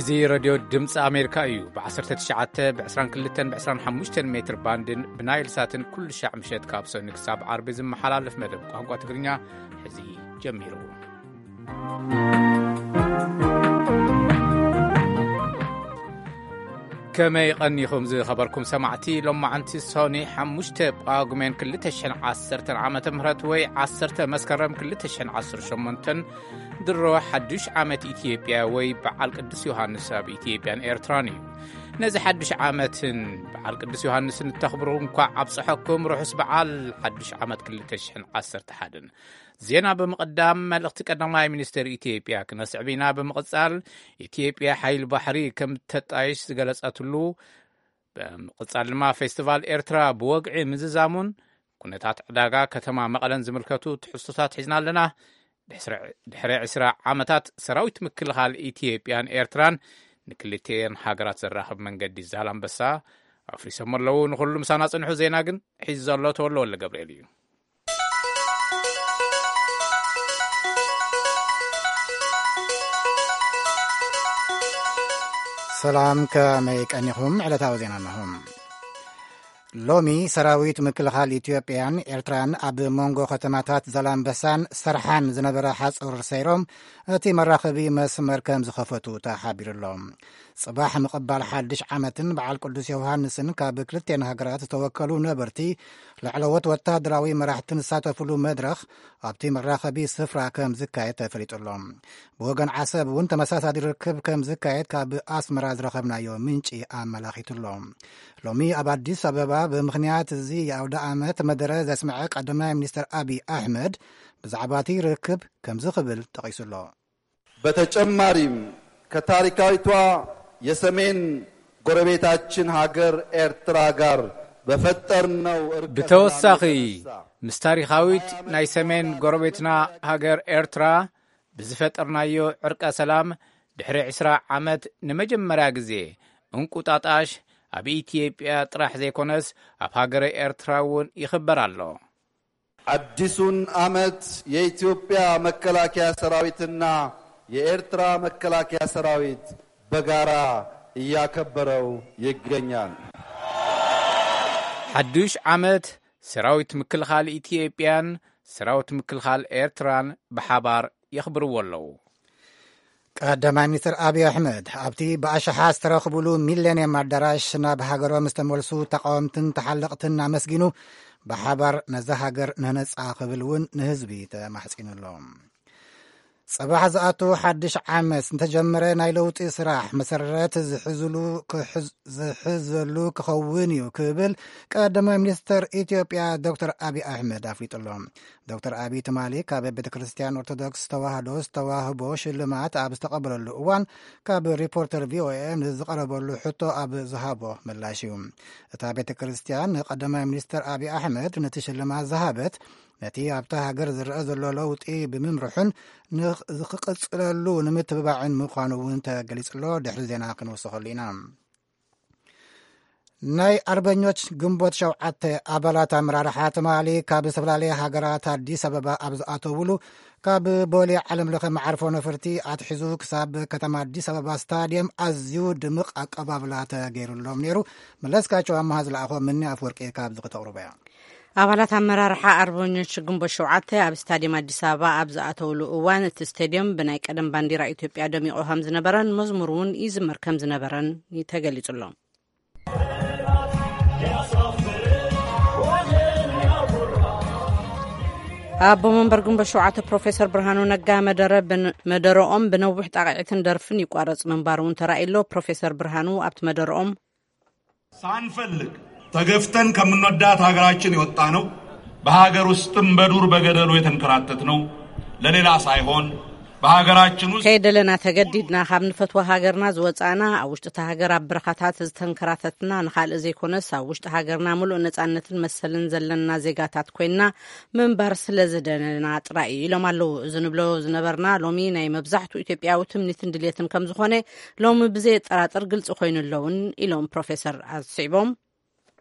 እዚ ሬድዮ ድምፂ ኣሜሪካ እዩ። ብ19፣ ብ22፣ ብ25 ሜትር ባንድን ብናይል ሳትን ኩሉ ሻዕ ምሸት ካብ ሰኑይ ክሳብ ዓርቢ ዝመሓላለፍ መደብ ቋንቋ ትግርኛ ሕዚ ጀሚሩ። ከመይ ቀኒኹም ዝኸበርኩም ሰማዕቲ? ሎማዓንቲ ሰኑይ ሓሙሽተ ጳጉሜን ክልተ ሽሕን ዓሰርተን ዓመተ ምህረት ወይ ዓሰርተ መስከረም ክልተ ሽሕን ዓሰርተ ሸሞንተን ድሮ ሓዱሽ ዓመት ኢትዮጵያ ወይ በዓል ቅዱስ ዮሃንስ ኣብ ኢትዮጵያን ኤርትራን እዩ። ነዚ ሓዱሽ ዓመትን በዓል ቅዱስ ዮሃንስን እተኽብሩ እንኳዕ ኣብጽሐኩም። ርሑስ በዓል ሓዱሽ ዓመት ክልተ ሽሕን ዓሰርተ ሓደን። ዜና ብምቕዳም መልእኽቲ ቀዳማይ ሚኒስትር ኢትዮጵያ ክነስዕብ ኢና። ብምቕጻል ኢትዮጵያ ሓይል ባሕሪ ከም ተጣይሽ ዝገለጸትሉ፣ ብምቕጻል ድማ ፌስቲቫል ኤርትራ ብወግዒ ምዝዛሙን ኩነታት ዕዳጋ ከተማ መቐለን ዝምልከቱ ትሕዝቶታት ሒዝና ኣለና። ድሕሪ ዕስራ ዓመታት ሰራዊት ምክልኻል ኢትዮጵያን ኤርትራን ንክልቲኤን ሃገራት ዘራኽብ መንገዲ ዛላምበሳ ኣፍሪሶም ኣለዉ። ንኹሉ ምሳና ጽንሑ። ዜና ግን ሒዙ ዘሎ ተወልደ ወልደ ገብርኤል እዩ። ሰላም፣ ከመይ ቀኒኹም? ዕለታዊ ዜና ኣለኹም። ሎሚ ሰራዊት ምክልኻል ኢትዮጵያን ኤርትራን ኣብ መንጎ ከተማታት ዛላምበሳን ሰርሓን ዝነበረ ሓጹር ሰይሮም እቲ መራኸቢ መስመር ከም ዝኸፈቱ ተሓቢሩ ኣሎ። ጽባሕ ምቕባል ሓድሽ ዓመትን በዓል ቅዱስ ዮሃንስን ካብ ክልቴን ሃገራት ዝተወከሉ ነበርቲ፣ ላዕለዎት ወታደራዊ መራሕትን ዝሳተፉሉ መድረኽ ኣብቲ መራኸቢ ስፍራ ከም ዝካየድ ተፈሊጡ ኣሎ። ብወገን ዓሰብ እውን ተመሳሳሊ ርክብ ከም ዝካየድ ካብ ኣስመራ ዝረኸብናዮ ምንጪ ኣመላኺቱ ኣሎ። ሎሚ ኣብ ኣዲስ ኣበባ ብምኽንያት እዚ የኣውደ ዓመት መደረ ዘስምዐ ቀዳማይ ሚኒስትር ኣቢይ ኣሕመድ ብዛዕባ እቲ ርክብ ከምዚ ክብል ጠቒሱ ኣሎ። በተጨማሪም ከታሪካዊቷ የሰሜን ጎረቤታችን ሀገር ኤርትራ ጋር በፈጠርነው እርቀ ሰላም ብተወሳኺ የተነሳ ምስ ታሪኻዊት ናይ ሰሜን ጎረቤትና ሃገር ኤርትራ ብዝፈጠርናዮ ዕርቀ ሰላም ድሕሪ ዕስራ ዓመት ንመጀመርያ ግዜ እንቁጣጣሽ ኣብ ኢትዮጵያ ጥራሕ ዘይኮነስ ኣብ ሃገረ ኤርትራ እውን ይኽበር ኣሎ። አዲሱን ዓመት የኢትዮጵያ መከላከያ ሰራዊትና የኤርትራ መከላከያ ሰራዊት በጋራ እያከበረው ይገኛል። ሓዱሽ ዓመት ሰራዊት ምክልኻል ኢትዮጵያን ሰራዊት ምክልኻል ኤርትራን ብሓባር የኽብርዎ ኣለዉ። ቀዳማይ ሚኒስትር ኣብይ ኣሕመድ ኣብቲ ብኣሽሓት ዝተረኽቡሉ ሚሌንየም ኣዳራሽ ናብ ሃገሮም ዝተመልሱ ተቃወምትን ተሓለቕትን ኣመስጊኑ፣ ብሓባር ነዛ ሃገር ንህነጻ ክብል እውን ንህዝቢ ተማሕጺኑ ኣሎ። ጽባሕ ዝኣቱ ሓድሽ ዓመት ዝተጀመረ ናይ ለውጢ ስራሕ መሰረት ዝሕዝሉ ክሕዝ- ዝሕዘሉ ክኸውን እዩ ክብል ቀዳማይ ሚኒስትር ኢትዮጵያ ዶክተር ኣብይ ኣሕመድ ኣፍሊጡ ኣሎ። ዶክተር ኣብይ ትማሊ ካብ ቤተ ክርስቲያን ኦርቶዶክስ ተዋህዶ ዝተዋህቦ ሽልማት ኣብ ዝተቐበለሉ እዋን ካብ ሪፖርተር ቪኦኤ ንዝቐረበሉ ሕቶ ኣብ ዝሃቦ ምላሽ እዩ። እታ ቤተ ክርስቲያን ንቀዳማይ ሚኒስትር ኣብይ ኣሕመድ ነቲ ሽልማት ዝሃበት ነቲ ኣብታ ሃገር ዝረአ ዘሎ ለውጢ ብምምርሑን ንኽ- ዝኽቅጽለሉ ንምትብባዕን ምዃኑ እውን ተገሊጹ ኣሎ። ድሕሪ ዜና ክንወስኸሉ ኢና። ናይ ኣርበኞች ግንቦት ሸውዓተ ኣባላት ኣመራርሓ ትማሊ ካብ ዝተፈላለየ ሃገራት ኣዲስ ኣበባ ኣብ ዝኣተውሉ ካብ ቦሌ ዓለም ለኸ መዓርፎ ነፈርቲ ኣትሒዙ ክሳብ ከተማ ኣዲስ ኣበባ ስታድየም ኣዝዩ ድምቕ ኣቀባብላ ተገይሩሎም ነይሩ። መለስካቸው ኣመሃ ዝለኣኾ ምኒ ኣፍወርቂ ካብ ዝኽተቕርቦ እያ። ኣባላት ኣመራርሓ ኣርበኞች ግንቦት ሸውዓተ ኣብ ስታድየም ኣዲስ ኣበባ ኣብ ዝኣተውሉ እዋን እቲ ስቴድየም ብናይ ቀደም ባንዲራ ኢትዮጵያ ደሚቑ ከም ዝነበረን መዝሙር እውን ይዝመር ከም ዝነበረን ተገሊጹ ኣሎ። ኣቦ መንበር ግንቦት ሸውዓተ ፕሮፌሰር ብርሃኑ ነጋ መደረ ብን- መደረኦም ብነዊሕ ጣቕዒትን ደርፍን ይቋረጽ ምንባሩ እውን ተራእዩ ኣሎ። ፕሮፌሰር ብርሃኑ ኣብቲ መደረኦም ሳንፈልግ ተገፍተን ከምንወዳት ሀገራችን የወጣነው፣ በሀገር ውስጥም በዱር በገደሉ የተንከራተትነው ለሌላ ሳይሆን በሀገራችን ውስጥ ከይደለና ተገዲድና ካብ ንፈትዋ ሃገርና ዝወጻእና፣ ኣብ ውሽጢ እታ ሃገር ኣብ በረኻታት ዝተንከራተትና፣ ንኻልእ ዘይኮነስ ኣብ ውሽጢ ሃገርና ምሉእ ነጻነትን መሰልን ዘለና ዜጋታት ኮይንና ምንባር ስለ ዝደለና ጥራይ እዩ ኢሎም ኣለዉ። እዚ ንብሎ ዝነበርና ሎሚ ናይ መብዛሕትኡ ኢትዮጵያዊ ትምኒትን ድልየትን ከም ዝኾነ ሎሚ ብዘየጠራጥር ግልጺ ኮይኑ ኣለውን ኢሎም ፕሮፌሰር ኣስዒቦም።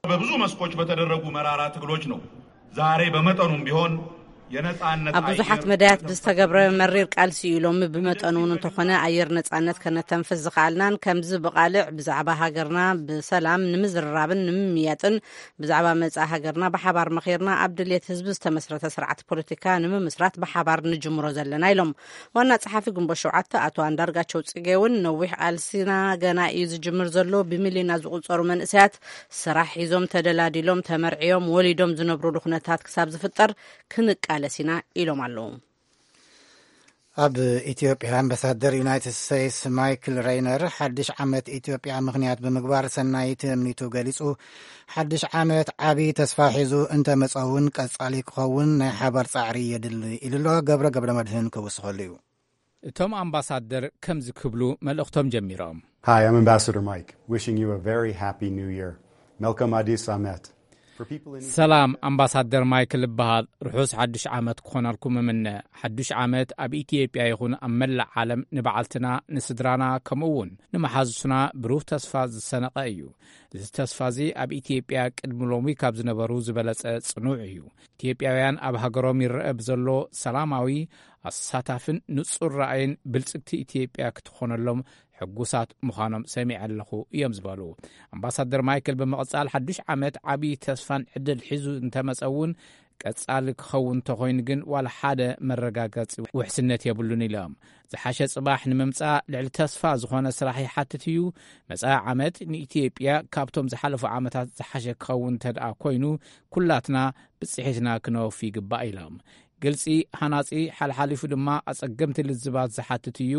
በብዙ መስኮች በተደረጉ መራራ ትግሎች ነው ዛሬ በመጠኑም ቢሆን ኣብ ብዙሓት መዳያት ብዝተገብረ መሪር ቃልሲ እዩ። ሎሚ ብመጠኑ እውን እንተኾነ ኣየር ነጻነት ከነተንፍስ ዝኸኣልናን፣ ከምዚ ብቓልዕ ብዛዕባ ሃገርና ብሰላም ንምዝርራብን ንምምያጥን፣ ብዛዕባ መጻኢ ሃገርና ብሓባር መኺርና ኣብ ድልየት ህዝቢ ዝተመስረተ ስርዓት ፖለቲካ ንምምስራት ብሓባር ንጅምሮ ዘለና ኢሎም። ዋና ጸሓፊ ግንቦት ሸውዓተ ኣቶ ኣንዳርጋቸው ጽጌ እውን፣ ነዊሕ ቃልሲና ገና እዩ ዝጅምር ዘሎ፣ ብሚልዮናት ዝቑጸሩ መንእሰያት ስራሕ ሒዞም፣ ተደላዲሎም፣ ተመርዕዮም፣ ወሊዶም ዝነብሩሉ ኩነታት ክሳብ ዝፍጠር ክንቃለስ ኢና ኢሎም ኣለዉ። ኣብ ኢትዮጵያ ኣምባሳደር ዩናይትድ ስቴትስ ማይክል ሬይነር ሓድሽ ዓመት ኢትዮጵያ ምኽንያት ብምግባር ሰናይ ትምኒቱ ገሊጹ፣ ሓድሽ ዓመት ዓቢ ተስፋ ሒዙ እንተመጸ እውን ቀጻሊ ክኸውን ናይ ሓባር ጻዕሪ የድሊ ኢሉ ኣሎ። ገብረ ገብረ መድህን ክውስኸሉ እዩ። እቶም ኣምባሳደር ከምዚ ክብሉ መልእኽቶም ጀሚሮም። Hi, I'm Ambassador Mike, wishing you a very happy new year. Melkom Adis Amet. For people in ሰላም፣ ኣምባሳደር ማይክል እበሃል። ርሑስ ሓድሽ ዓመት ክኾነልኩም እምነ። ሓድሽ ዓመት ኣብ ኢትዮጵያ ይኹን ኣብ መላእ ዓለም ንበዓልትና፣ ንስድራና፣ ከምኡ እውን ንመሓዙትና ብሩህ ተስፋ ዝሰነቐ እዩ። እዚ ተስፋ እዚ ኣብ ኢትዮጵያ ቅድሚ ሎሚ ካብ ዝነበሩ ዝበለጸ ጽኑዕ እዩ። ኢትዮጵያውያን ኣብ ሃገሮም ይረአ ብዘሎ ሰላማዊ፣ ኣሳታፍን ንጹር ራእይን ብልጽግቲ ኢትዮጵያ ክትኾነሎም ሕጉሳት ምዃኖም ሰሚዐ ኣለኹ እዮም ዝበሉ ኣምባሳደር ማይክል። ብምቕጻል ሓዱሽ ዓመት ዓቢ ተስፋን ዕድል ሒዙ እንተመጸ እውን ቀጻሊ ክኸውን እንተኾይኑ ግን ዋላ ሓደ መረጋገጺ ውሕስነት የብሉን ኢሎም። ዝሓሸ ጽባሕ ንምምጻእ ልዕሊ ተስፋ ዝኾነ ስራሕ ይሓትት እዩ። መጻኢ ዓመት ንኢትዮጵያ ካብቶም ዝሓለፉ ዓመታት ዝሓሸ ክኸውን እንተደኣ ኮይኑ ኩላትና ብጽሒትና ክነወፊ ይግባእ ኢሎም። ግልጺ፣ ሃናጺ፣ ሓልሓሊፉ ድማ ኣጸገምቲ ልዝባት ዝሓትት እዩ።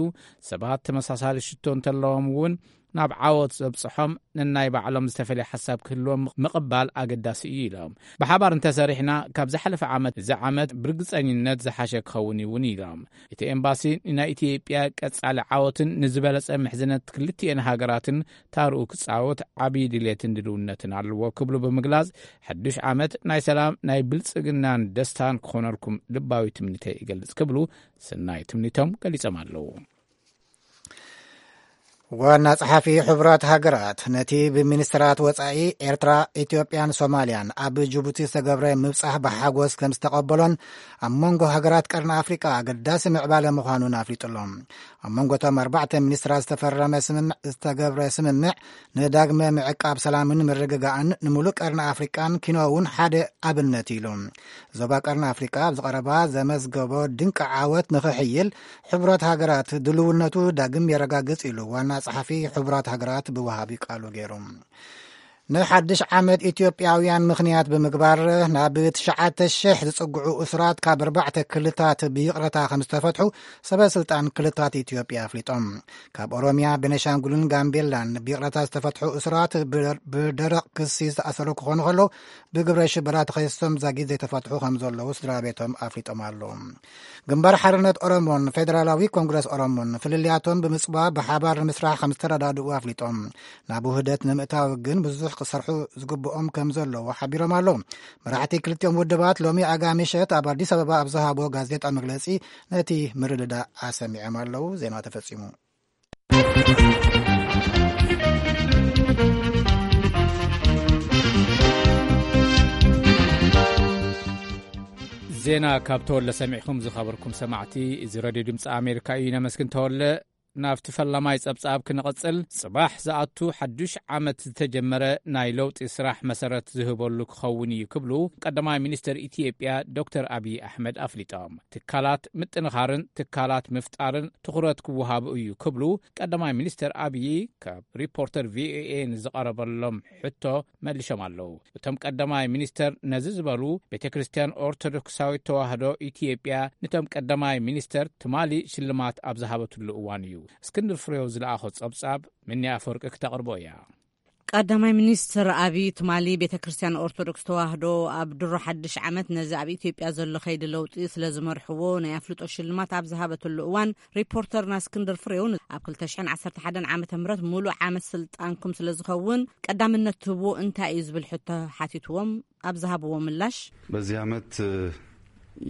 ሰባት ተመሳሳሊ ሽቶ እንተለዎም እውን ናብ ዓወት ዘብጽሖም ነናይ ባዕሎም ዝተፈልየ ሓሳብ ክህልዎም ምቕባል ኣገዳሲ እዩ ኢሎም። ብሓባር እንተሰሪሕና ካብ ዝሓለፈ ዓመት እዚ ዓመት ብርግጸኝነት ዝሓሸ ክኸውን እውን ኢሎም። እቲ ኤምባሲ ንናይ ኢትዮጵያ ቀጻሊ ዓወትን ንዝበለጸ ምሕዝነት ክልቲኤን ሃገራትን ታርኡ ክጻወት ዓቢ ድሌትን ድልውነትን ኣለዎ ክብሉ ብምግላጽ፣ ሓዱሽ ዓመት ናይ ሰላም፣ ናይ ብልጽግናን ደስታን ክኾነልኩም ልባዊ ትምኒተይ እገልጽ ክብሉ ሰናይ ትምኒቶም ገሊጾም ኣለዉ። ዋና ጸሓፊ ሕቡራት ሃገራት ነቲ ብሚኒስትራት ወጻኢ ኤርትራ፣ ኢትዮጵያን ሶማልያን ኣብ ጅቡቲ ዝተገብረ ምብጻሕ ብሓጎስ ከም ዝተቐበሎን ኣብ መንጎ ሃገራት ቀርኒ ኣፍሪቃ ኣገዳሲ ምዕባለ ምዃኑን ኣፍሊጡሎም። ኣብ መንጎ እቶም ኣርባዕተ ሚኒስትራት ዝተፈረመ ስምምዕ ዝተገብረ ስምምዕ ንዳግመ ምዕቃብ ሰላምን ምርግጋእን ንምሉእ ቀርኒ ኣፍሪቃን ኪኖ እውን ሓደ ኣብነት ኢሉ። ዞባ ቀርኒ ኣፍሪቃ ኣብ ዝቐረባ ዘመዝገቦ ድንቂ ዓወት ንኽሕይል ሕቡራት ሃገራት ድልውነቱ ዳግም የረጋግጽ ኢሉ ዋና ጸሓፊ ሕቡራት ሃገራት ብወሃቢ ቃሉ ገይሩ። ንሓድሽ ዓመት ኢትዮጵያውያን ምኽንያት ብምግባር ናብ ትሽዓተ ሽሕ ዝጽግዑ እሱራት ካብ ኣርባዕተ ክልታት ብይቕረታ ከም ዝተፈትሑ ሰበ ስልጣን ክልታት ኢትዮጵያ ኣፍሊጦም። ካብ ኦሮሚያ፣ ቤኒሻንጉልን ጋምቤላን ብይቕረታ ዝተፈትሑ እሱራት ብደር-፣ ብደረቕ ክሲ ዝተኣሰሩ ክኾኑ ከለዉ ብግብረ ሽበራ ተኸሲሶም ዛጊት ዘይተፈትሑ ከም ዘለዉ ስድራ ቤቶም ኣፍሊጦም ኣለዉ። ግንባር ሓርነት ኦሮሞን ፌደራላዊ ኮንግረስ ኦሮሞን ፍልልያቶም ብምጽባብ ብሓባር ንምስራሕ ከም ዝተረዳድኡ ኣፍሊጦም። ናብ ውህደት ንምእታው ግን ብዙሕ ክሰርሑ ዝግብኦም ከም ዘለዉ ሓቢሮም ኣለዉ። መራሕቲ ክልቲኦም ውድባት ሎሚ ኣጋ ምሸት ኣብ ኣዲስ ኣበባ ኣብ ዝሃቦ ጋዜጣ መግለጺ ነቲ ምርድዳእ ኣሰሚዖም ኣለዉ። ዜና ተፈጺሙ። ዜና ካብ ተወለ ሰሚዕኩም ዝኸበርኩም ሰማዕቲ፣ እዚ ሬድዮ ድምፂ ኣሜሪካ እዩ። ነመስግን ተወለ። ናብቲ ፈላማይ ጸብጻብ ክንቕጽል፣ ጽባሕ ዝኣቱ ሓዱሽ ዓመት ዝተጀመረ ናይ ለውጢ ስራሕ መሰረት ዝህበሉ ክኸውን እዩ ክብሉ ቀዳማይ ሚኒስትር ኢትዮጵያ ዶክተር ኣብይ ኣሕመድ ኣፍሊጦም። ትካላት ምጥንኻርን ትካላት ምፍጣርን ትኹረት ክወሃቡ እዩ ክብሉ ቀዳማይ ሚኒስትር ኣብይ ካብ ሪፖርተር ቪኦኤ ንዝቐረበሎም ሕቶ መሊሾም ኣለዉ። እቶም ቀዳማይ ሚኒስተር ነዚ ዝበሉ፣ ቤተ ክርስቲያን ኦርቶዶክሳዊት ተዋህዶ ኢትዮጵያ ንቶም ቀዳማይ ሚኒስተር ትማሊ ሽልማት ኣብ ዝሃበትሉ እዋን እዩ። እስክንድር ፍሬው ዝለኣኾ ጸብጻብ ምንያ ኣፈወርቂ ክተቕርቦ እያ። ቀዳማይ ሚኒስትር ኣብይ ትማሊ ቤተ ክርስቲያን ኦርቶዶክስ ተዋህዶ ኣብ ድሮ ሓድሽ ዓመት ነዚ ኣብ ኢትዮጵያ ዘሎ ከይዲ ለውጢ ስለ ዝመርሕዎ ናይ ኣፍልጦ ሽልማት ኣብ ዝሃበትሉ እዋን፣ ሪፖርተርና እስክንድር ፍሬው ኣብ ክልተ ሽሕን ዓሰርተ ሓደን ዓመተ ምህረት ሙሉእ ዓመት ስልጣንኩም ስለ ዝኸውን ቀዳምነት ትህብዎ እንታይ እዩ ዝብል ሕቶ ሓቲትዎም ኣብ ዝሃብዎ ምላሽ፣ በዚህ ዓመት፣ እ፣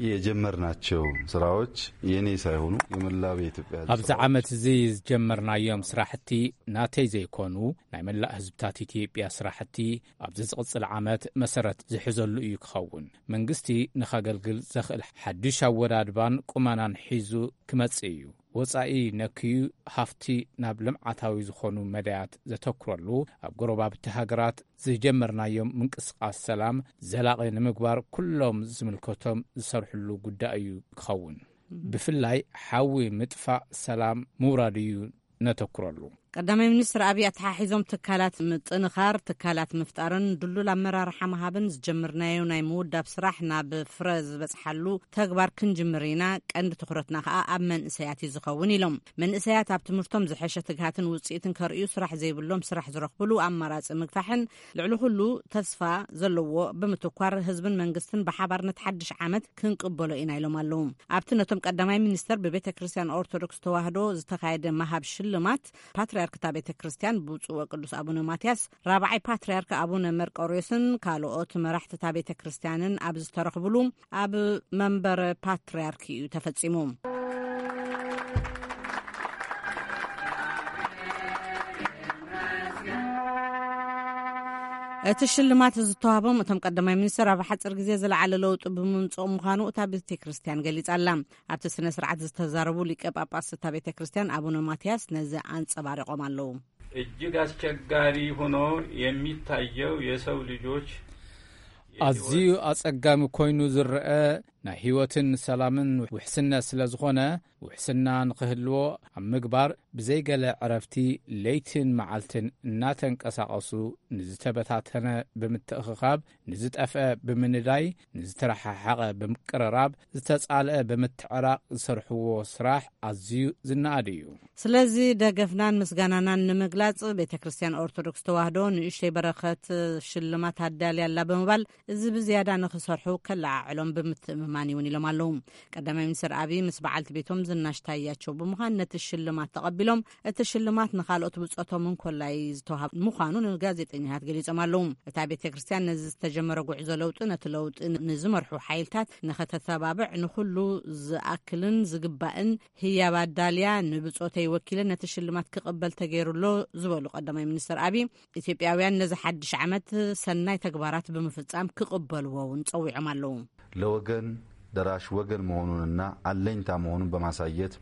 የጀመርናቸው ስራዎች የኔ ሳይሆኑ የመላው የኢትዮጵያ ሕዝብ ኣብዚ ስራዎች። ዓመት እዚ ዝጀመርናዮም ስራሕቲ ናተይ ዘይኮኑ፣ ናይ መላእ ህዝብታት ኢትዮጵያ ስራሕቲ ኣብዚ ዝቕጽል ዓመት መሰረት ዝሕዘሉ እዩ ክኸውን። መንግስቲ ንኸገልግል ዘኽእል ሓድሽ ኣወዳድባን ቁመናን ሒዙ ክመጽእ እዩ። ወጻኢ ነክዩ ሃፍቲ ናብ ልምዓታዊ ዝኾኑ መዳያት ዘተኩረሉ፣ ኣብ ጎረባብቲ ሃገራት ዝጀመርናዮም ምንቅስቃስ ሰላም ዘላቒ ንምግባር ኩሎም ዝምልከቶም ዝሰርሕሉ ጉዳይ እዩ ክኸውን። ብፍላይ ሓዊ ምጥፋእ ሰላም ምውራድ እዩ ነተኩረሉ። ቀዳማይ ሚኒስትር ኣብይ ኣተሓሒዞም ትካላት ምጥንኻር፣ ትካላት ምፍጣርን ድሉል ኣመራርሓ ምሃብን ዝጀመርናዮ ናይ ምውዳብ ስራሕ ናብ ፍረ ዝበፅሓሉ ተግባር ክንጅምር ኢና። ቀንዲ ትኹረትና ከዓ ኣብ መንእሰያት እዩ ዝኸውን ኢሎም። መንእሰያት ኣብ ትምህርቶም ዝሐሸ ትግሃትን ውፅኢትን ከርእዩ ስራሕ ዘይብሎም ስራሕ ዝረኽብሉ ኣማራፂ ምግፋሕን ልዕሊ ኩሉ ተስፋ ዘለዎ ብምትኳር ህዝብን መንግስትን ብሓባር ነቲ ሓድሽ ዓመት ክንቅበሎ ኢና ኢሎም ኣለዉ። ኣብቲ ነቶም ቀዳማይ ሚኒስተር ብቤተ ክርስቲያን ኦርቶዶክስ ተዋህዶ ዝተኻየደ መሃብ ሽልማት ፓትርያርክ እታ ቤተ ክርስቲያን ብፁዕ ወቅዱስ ኣቡነ ማትያስ ራብዓይ ፓትርያርክ ኣቡነ መርቆሬዎስን ካልኦት መራሕቲ እታ ቤተ ክርስቲያንን ኣብ ዝተረኽብሉ ኣብ መንበረ ፓትርያርክ እዩ ተፈጺሙ። እቲ ሽልማት ዝተዋህቦም እቶም ቀዳማይ ሚኒስትር ኣብ ሓፂር ግዜ ዝለዓለ ለውጢ ብምምፅኦም ምዃኑ እታ ቤተ ክርስቲያን ገሊጻ ኣላ። ኣብቲ ስነ ስርዓት ዝተዛረቡ ሊቀ ጳጳስ እታ ቤተ ክርስቲያን ኣቡነ ማትያስ ነዚ ኣንጸባሪቖም ኣለዉ። እጅግ አስቸጋሪ ሆኖ የሚታየው የሰው ልጆች ኣዝዩ ኣጸጋሚ ኮይኑ ዝረአ ናይ ህይወትን ሰላምን ውሕስነት ስለ ዝኾነ፣ ውሕስና ንኽህልዎ ኣብ ምግባር ብዘይገለ ዕረፍቲ ለይትን መዓልትን እናተንቀሳቐሱ ንዝተበታተነ ብምትእኽኻብ፣ ንዝጠፍአ ብምንዳይ፣ ንዝተረሓሓቐ ብምቅርራብ፣ ዝተጻልአ ብምትዕራቕ ዝሰርሕዎ ስራሕ ኣዝዩ ዝነኣድ እዩ። ስለዚ ደገፍናን ምስጋናናን ንምግላጽ ቤተ ክርስቲያን ኦርቶዶክስ ተዋህዶ ንእሽተይ በረኸት ሽልማት ኣዳልያ ኣላ ብምባል እዚ ብዝያዳ ንኽሰርሑ ከለዓዕሎም ብምትእምማን እውን ኢሎም ኣለዉ። ቀዳማይ ሚኒስትር ኣብይ ምስ በዓልቲ ቤቶም ዝናሽ ታያቸው ብምዃን ነቲ ሽልማት ተቐቢሎም፣ እቲ ሽልማት ንኻልኦት ብጾቶም እንኮላይ ዝተዋሃብ ምዃኑ ንጋዜጠኛታት ገሊጾም ኣለዉ። እታ ቤተ ክርስቲያን ነዚ ዝተጀመረ ጉዕዞ ለውጢ ነቲ ለውጢ ንዝመርሑ ሓይልታት ንኸተተባብዕ ንኹሉ ዝኣክልን ዝግባእን ህያብ ኣዳልያ ንብጾተይ ወኪለ ነቲ ሽልማት ክቕበል ተገይሩ ኣሎ ዝበሉ ቀዳማይ ሚኒስትር ኣብይ፣ ኢትዮጵያውያን ነዚ ሓድሽ ዓመት ሰናይ ተግባራት ብምፍጻም ክቕበልዎ እውን ጸዊዖም ኣለዉ። ለወገን ደራሽ ወገን መሆኑንና አለኝታ መሆኑን በማሳየት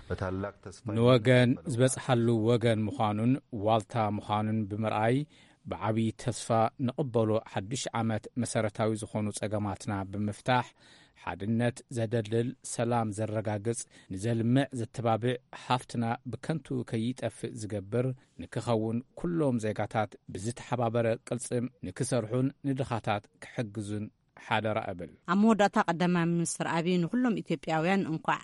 በታላቅ ተስፋ ንወገን ዝበጽሓሉ ወገን ምዃኑን ዋልታ ምዃኑን ብምርኣይ ብዓብዪ ተስፋ ንቕበሎ። ሓድሽ ዓመት መሰረታዊ ዝኾኑ ጸገማትና ብምፍታሕ፣ ሓድነት ዘደልድል፣ ሰላም ዘረጋግጽ፣ ንዘልምዕ ዘተባብዕ፣ ሃፍትና ብከንቱ ከይጠፍእ ዝገብር ንክኸውን ኩሎም ዜጋታት ብዝተሓባበረ ቅልጽም ንክሰርሑን ንድኻታት ክሕግዙን ሓደራ እብል። ኣብ መወዳእታ ቀዳማይ ሚኒስትር ኣብይ ንኹሎም ኢትዮጵያውያን እንኳዕ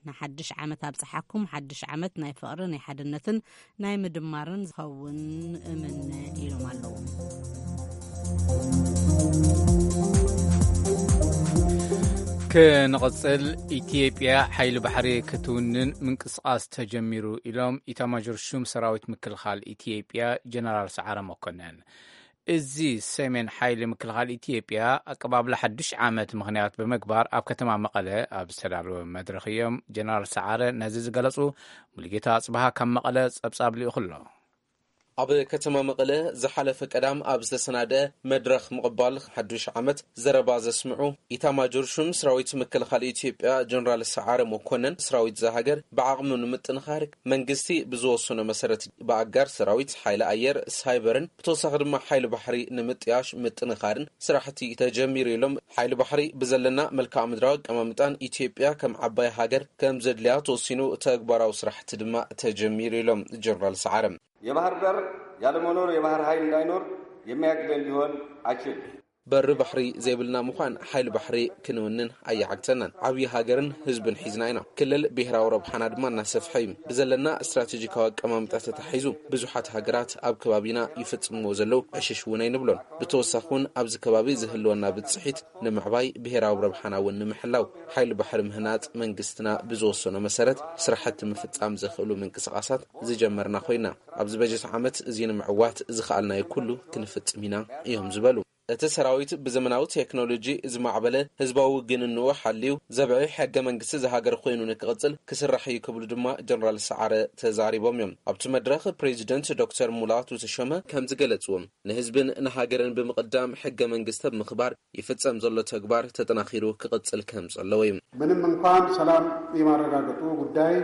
ንሓድሽ ዓመት ኣብፀሓኩም። ሓድሽ ዓመት ናይ ፍቕሪ፣ ናይ ሓድነትን ናይ ምድማርን ዝኸውን እምነ ኢሎም ኣለዉ። ክንቕጽል፣ ኢትዮጵያ ሓይሊ ባሕሪ ክትውንን ምንቅስቓስ ተጀሚሩ ኢሎም ኢታማዦር ሹም ሰራዊት ምክልኻል ኢትዮጵያ ጀነራል ሰዓረ መኮነን። እዚ ሰሜን ሓይሊ ምክልኻል ኢትዮጵያ ኣቀባብላ ሓድሽ ዓመት ምኽንያት ብምግባር ኣብ ከተማ መቐለ ኣብ ዝተዳለወ መድረኽ እዮም ጀነራል ሰዓረ ነዚ ዝገለጹ። ሙሉጌታ ኣጽብሃ ካብ መቐለ ጸብጻብ ልኢኹ ኣሎ። ኣብ ከተማ መቐለ ዝሓለፈ ቀዳም ኣብ ዝተሰናደ መድረኽ ምቕባል ሓዱሽ ዓመት ዘረባ ዘስምዑ ኢታማጆር ሹም ሰራዊት ምክልኻል ኢትዮጵያ ጀነራል ሰዓረ መኮነን፣ ሰራዊት እዛ ሃገር ብዓቕሙ ንምጥንኻር መንግስቲ ብዝወሰኖ መሰረት ብኣጋር ሰራዊት፣ ሓይሊ ኣየር፣ ሳይበርን ብተወሳኺ ድማ ሓይሊ ባሕሪ ንምጥያሽ ምጥንኻርን ስራሕቲ ተጀሚሩ ኢሎም። ሓይሊ ባሕሪ ብዘለና መልክዓ ምድራዊ ኣቀማምጣን ኢትዮጵያ ከም ዓባይ ሃገር ከም ዘድልያ ተወሲኑ ተግባራዊ ስራሕቲ ድማ ተጀሚሩ ኢሎም ጀነራል ሰዓረ። የባህር በር ያለመኖር የባህር ኃይል እንዳይኖር የሚያግደን ሊሆን አይችልም። በሪ ባሕሪ ዘይብልና ምዃን ሓይሊ ባሕሪ ክንውንን ኣየዓግተናን። ዓብዪ ሃገርን ህዝብን ሒዝና ኢና። ክልል ብሄራዊ ረብሓና ድማ እናሰፍሐ እዩ። ብዘለና ስትራቴጂካዊ ኣቀማምጣ ተታሒዙ ብዙሓት ሃገራት ኣብ ከባቢና ይፍጽምዎ ዘለዉ ዕሽሽ እውን ኣይንብሎን። ብተወሳኺ እውን ኣብዚ ከባቢ ዝህልወና ብጽሒት ንምዕባይ ብሄራዊ ረብሓና እውን ንምሕላው ሓይሊ ባሕሪ ምህናጽ መንግስትና ብዝወሰኖ መሰረት ስራሕቲ ምፍጻም ዘኽእሉ ምንቅስቓሳት ዝጀመርና ኮይና ኣብዚ በጀት ዓመት እዚ ንምዕዋት ዝኸኣልናዮ ኩሉ ክንፍጽም ኢና እዮም ዝበሉ። እቲ ሰራዊት ብዘመናዊ ቴክኖሎጂ ዝማዕበለ ህዝባዊ ውግንንኡ ሓልዩ ዘብዒ ሕገ መንግስቲ ዝሃገር ኮይኑ ንክቕጽል ክስራሕ እዩ ክብሉ ድማ ጀነራል ሰዓረ ተዛሪቦም እዮም። ኣብቲ መድረኽ ፕሬዚደንት ዶክተር ሙላቱ ተሾመ ከም ዝገለጽዎም ንህዝብን ንሃገርን ብምቕዳም ሕገ መንግስቲ ኣብ ምኽባር ይፍጸም ዘሎ ተግባር ተጠናኺሩ ክቕጽል ከም ዘለዎ እዩ። ምንም እንኳን ሰላም የማረጋገጡ ጉዳይ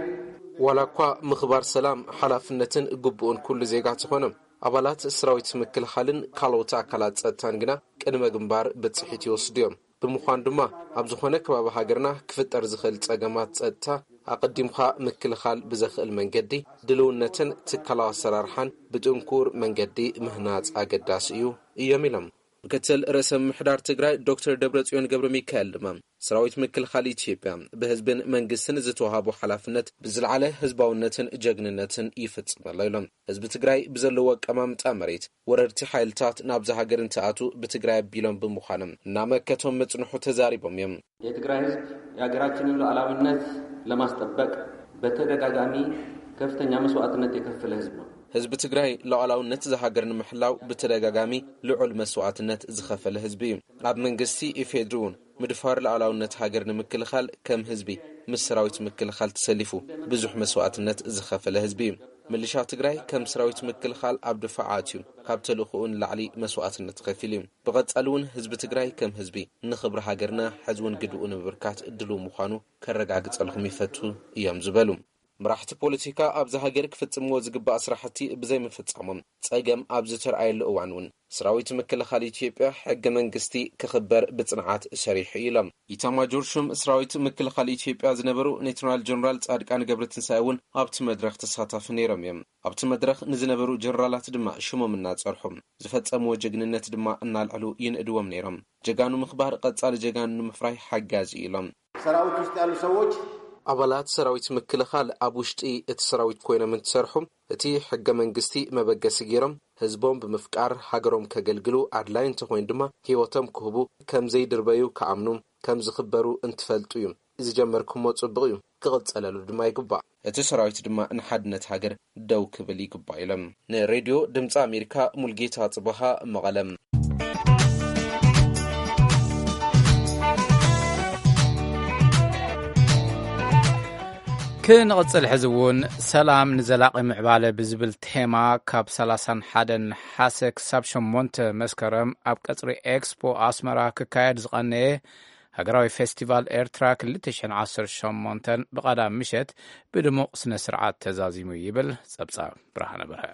ዋላ እኳ ምኽባር ሰላም ሓላፍነትን ግቡእን ኩሉ ዜጋ ተኾነ ኣባላት ሰራዊት ምክልኻልን ካልኦት ኣካላት ጸጥታን ግና ቅድመ ግንባር ብጽሒት ይወስዱ እዮም። ብምዃን ድማ ኣብ ዝኾነ ከባቢ ሃገርና ክፍጠር ዝኽእል ጸገማት ጸጥታ ኣቐዲምካ ምክልኻል ብዘኽእል መንገዲ ድልውነትን ትካላዊ ኣሰራርሓን ብጥንኩር መንገዲ ምህናጽ ኣገዳሲ እዩ እዮም ኢሎም። ምክትል ርእሰ ምምሕዳር ትግራይ ዶክተር ደብረጽዮን ገብረ ሚካኤል ድማ ሰራዊት ምክልኻል ኢትዮጵያ ብህዝብን መንግስትን ዝተዋሃቦ ሓላፍነት ብዝለዓለ ህዝባውነትን ጀግንነትን ይፍጽም ኣሎ ኢሎም። ህዝቢ ትግራይ ብዘለዎ ኣቀማምጣ መሬት ወረርቲ ሓይልታት ናብዛ ሃገር እንትኣቱ ብትግራይ ኣቢሎም ብምዃኖም እናመከቶም ምጽንሑ ተዛሪቦም እዮም። የትግራይ ህዝብ የሀገራችንን ሉዓላዊነት ለማስጠበቅ በተደጋጋሚ ከፍተኛ መስዋዕትነት የከፈለ ህዝብ ነው። ህዝቢ ትግራይ ሉዓላውነት ዝሃገር ንምሕላው ብተደጋጋሚ ልዑል መስዋዕትነት ዝኸፈለ ህዝቢ እዩ። ኣብ መንግስቲ ኢፌድሪ እውን ምድፋር ሉዓላውነት ሃገር ንምክልኻል ከም ህዝቢ ምስ ሰራዊት ምክልኻል ተሰሊፉ ብዙሕ መስዋዕትነት ዝኸፈለ ህዝቢ እዩ። ምልሻ ትግራይ ከም ሰራዊት ምክልኻል ኣብ ድፋዓት እዩ። ካብ ተልእኾኡ ንላዕሊ መስዋዕትነት ከፊሉ እዩ። ብቐጻሊ እውን ህዝቢ ትግራይ ከም ህዝቢ ንኽብሪ ሃገርና ሕዚ እውን ግድኡ ንምብርካት ድሉው ምዃኑ ከረጋግጸልኩም ይፈቱ እዮም ዝበሉ። መራሕቲ ፖለቲካ ኣብዛ ሃገር ክፍጽምዎ ዝግባእ ስራሕቲ ብዘይምፍጻሞም ጸገም ኣብ ዝተርኣየሉ እዋን እውን ሰራዊት ምክልኻል ኢትዮጵያ ሕገ መንግስቲ ክኽበር ብጽንዓት ሰሪሑ ኢሎም። ኢታማጆር ሹም ሰራዊት ምክልኻል ኢትዮጵያ ዝነበሩ ሌተናል ጀነራል ጻድቃን ገብረትንሳኤ እውን ኣብቲ መድረኽ ተሳታፊ ነይሮም እዮም። ኣብቲ መድረኽ ንዝነበሩ ጀነራላት ድማ ሽሞም እናጸርሑ ዝፈጸምዎ ጀግንነት ድማ እናልዕሉ ይንእድዎም ነይሮም። ጀጋኑ ምኽባር ቀጻሊ ጀጋኑ ንምፍራይ ሓጋዚ እዩ ኢሎም። ሰራዊት ውስጥ ያሉ ሰዎች ኣባላት ሰራዊት ምክልኻል ኣብ ውሽጢ እቲ ሰራዊት ኮይኖም እንትሰርሑ እቲ ሕገ መንግስቲ መበገሲ ገይሮም ህዝቦም ብምፍቃር ሃገሮም ከገልግሉ ኣድላይ እንተኮይኑ ድማ ህይወቶም ክህቡ ከም ዘይድርበዩ ክኣምኑ ከም ዝኽበሩ እንትፈልጡ እዩ ዝጀመርኩሞ ጽቡቕ እዩ ክቕጸለሉ ድማ ይግባእ። እቲ ሰራዊት ድማ ንሓድነት ሃገር ደው ክብል ይግባእ ኢሎም። ንሬድዮ ድምፂ ኣሜሪካ ሙልጌታ ጽበሃ መቐለም። ክንቕጽል ሕዚ እውን ሰላም ንዘላቒ ምዕባለ ብዝብል ቴማ ካብ ሰላሳን ሓደን ነሓሰ ክሳብ ሸሞንተ መስከረም ኣብ ቀጽሪ ኤክስፖ ኣስመራ ክካየድ ዝቐነየ ሃገራዊ ፌስቲቫል ኤርትራ ክልተ ሽሕን ዓሰርተ ሸሞንተን ብቐዳም ምሸት ብድሙቕ ስነ ስርዓት ተዛዚሙ ይብል ጸብጻብ ብርሃነ በርሀ።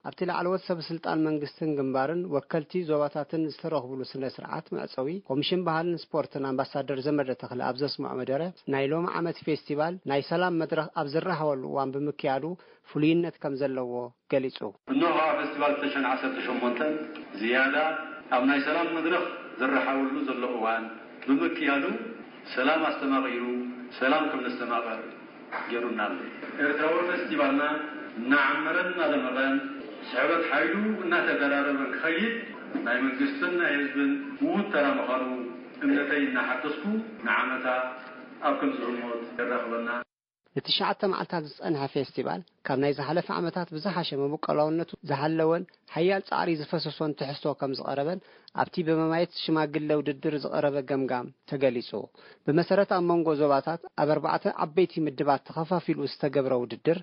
ኣብቲ ላዕለዎት ሰብ ስልጣን መንግስትን ግንባርን ወከልቲ ዞባታትን ዝተረኽብሉ ስነ ስርዓት መዕፀዊ ኮሚሽን ባህልን ስፖርትን ኣምባሳደር ዘመደ ተኽለ ኣብ ዘስምዖ መደረ ናይ ሎሚ ዓመት ፌስቲቫል ናይ ሰላም መድረኽ ኣብ ዝረሃወሉ እዋን ብምክያዱ ፍሉይነት ከም ዘለዎ ገሊፁ። እነሆ ከዓ ፌስቲቫል ክልተ ሽሕን ዓሰርተ ሸሞንተን ዝያዳ ኣብ ናይ ሰላም መድረኽ ዝረሓወሉ ዘሎ እዋን ብምክያዱ ሰላም ኣስተማቒሩ ሰላም ከም ነስተማቐር ገይሩና ኣሎ። ኤርትራዊ ፌስቲቫልና እናዓመረን እናደመቐን ስሕበት ሓይሉ እናተደራረበን ክኸይድ ናይ መንግስትን ናይ ህዝብን ምዉት ተራ ምዃኑ እምነተይ እናሓደስኩ ንዓመታ ኣብ ከምዚ ህሞት የራኽበና። ንትሽዓተ መዓልታት ዝጸንሐ ፌስቲቫል፣ ካብ ናይ ዝሓለፈ ዓመታት ብዝሓሸ መበቆላውነቱ ዝሃለወን ሓያል ጻዕሪ ዝፈሰሶን ትሕዝቶ ከም ዝቐረበን ኣብቲ ብመማየት ሽማግለ ውድድር ዝቐረበ ገምጋም ተገሊጹ። ብመሰረት ኣብ መንጎ ዞባታት ኣብ ኣርባዕተ ዓበይቲ ምድባት ተኸፋፊሉ ዝተገብረ ውድድር፣